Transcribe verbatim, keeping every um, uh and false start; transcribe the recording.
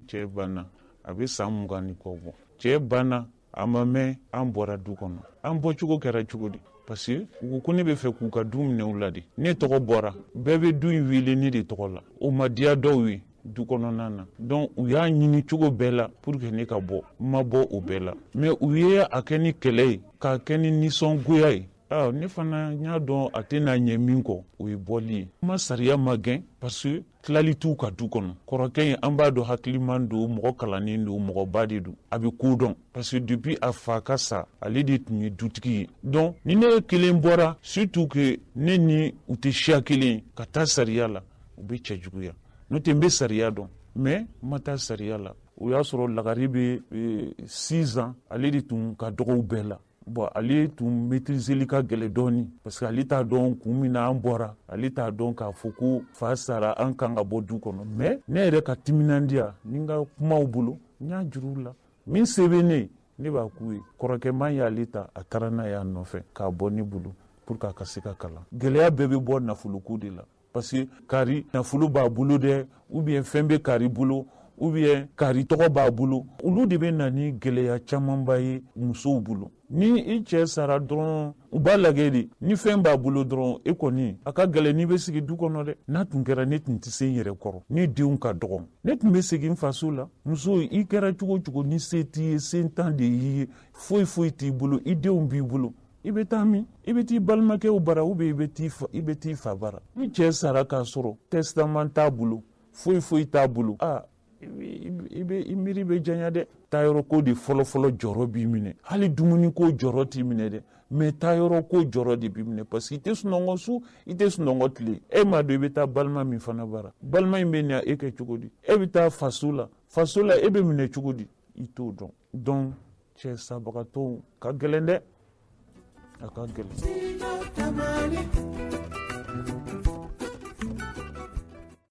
Cɛ banna, a bɛ san mugan ni kɔ bɔ. Cɛ banna, a ma mɛn, an bɔra du kɔnɔ. An bɔcogo kɛra cogo di? Parce que u ko ko ne bɛ fɛ k'u ka du minɛ u la de. Ne tɔgɔ bɔra, bɛɛ bɛ du in wele ne de tɔgɔ la. O ma diya dɔw ye du kɔnɔna na. Donc u y'a ɲini cogo bɛɛ la pour que ne ka bɔ. N ma bɔ o bɛɛ la, mais u ye a kɛ ni kɛlɛ ye, k'a kɛ ni nisɔngoya ye. Ah, ne fana n y'a dɔn a tɛna ɲɛ min kɔ, o ye bɔli ye. N ma sariya ma gɛn, parce que tilali t'u ka du kɔnɔ. Kɔrɔkɛ in, an b'a dɔn, hakiliman don, mɔgɔ kalannen don, mɔgɔba de don, a bɛ ko dɔn, parce que depuis a fa ka sa, ale de tun ye dutigi ye. Donc ni ne ye kelen bɔra, surtout que ne ni u tɛ siya kelen ye, ka taa sariya la, u bɛ cɛ juguya. N'o tɛ, n bɛ sariya dɔn, mais n ma taa sariya la. O y'a sɔrɔ lagare bɛ six ans, ale de tun ka dɔgɔw bɛɛ la. Bon, ale tun maîtriseli ka gɛlɛ dɔɔni, parce que ale t'a dɔn kun min na an bɔra, ale t'a dɔn k'a fɔ ko fa sara, an kan ka bɔ du kɔnɔ. Mais ne yɛrɛ ka timinandiya ni n ka kumaw bolo, n y'a juru la, min se bɛ ne, ne b'a k'u ye. Kɔrɔkɛman y'ale ta, a taara n'a y'a nɔfɛ k'a bɔ ne bolo pour que a ka se ka kalan. Gɛlɛya bɛɛ bɛ bɔ nafoloko de la, parce que kari nafolo b'a bolo dɛ, ou bien fɛn bɛ kari bolo, ou bien kari tɔgɔ b'a bolo, olu de bɛ na ni gɛlɛya camanba ye musow bolo. Ni i cɛ sara dɔrɔn, u b'a lajɛ de, ni fɛn b'a bolo dɔrɔn, e kɔni a ka gɛlɛn n'i bɛ sigi du kɔnɔ dɛ. N'a tun kɛra, ne tun tɛ se n yɛrɛ kɔrɔ, ne denw ka dɔgɔn, ne tun bɛ segin n faso la. Muso, i kɛra cogo o cogo, ni se t'i ye, se tan de y'i ye, foyi foyi t'i bolo, i denw b'i bolo, i bɛ taa min? I bɛ t'i balimakɛw bara, ou bien i bɛ t'i fa, i bɛ t'i fa bara. Ni cɛ sara k'a sɔrɔ testament t'a bolo, foyi foyi t'a bolo, aa, i bɛ i miiri bɛ janya dɛ. Taayɔrɔ ko de fɔlɔfɔlɔ jɔrɔ b'i minɛ. Hali dumuni ko jɔrɔ t'i minɛ dɛ, mais taayɔrɔ ko jɔrɔ de b'i minɛ, parce que i tɛ sunɔgɔ su, i tɛ sunɔgɔ tile. E m'a dɔn i bɛ taa balima min fana bara, balima in bɛ na e kɛ cogo di? E bɛ taa faso la, faso la e bɛ minɛ cogo di? I t'o dɔn. Donc cɛ sabagatɔw ka gɛlɛn dɛ, a ka gɛlɛn.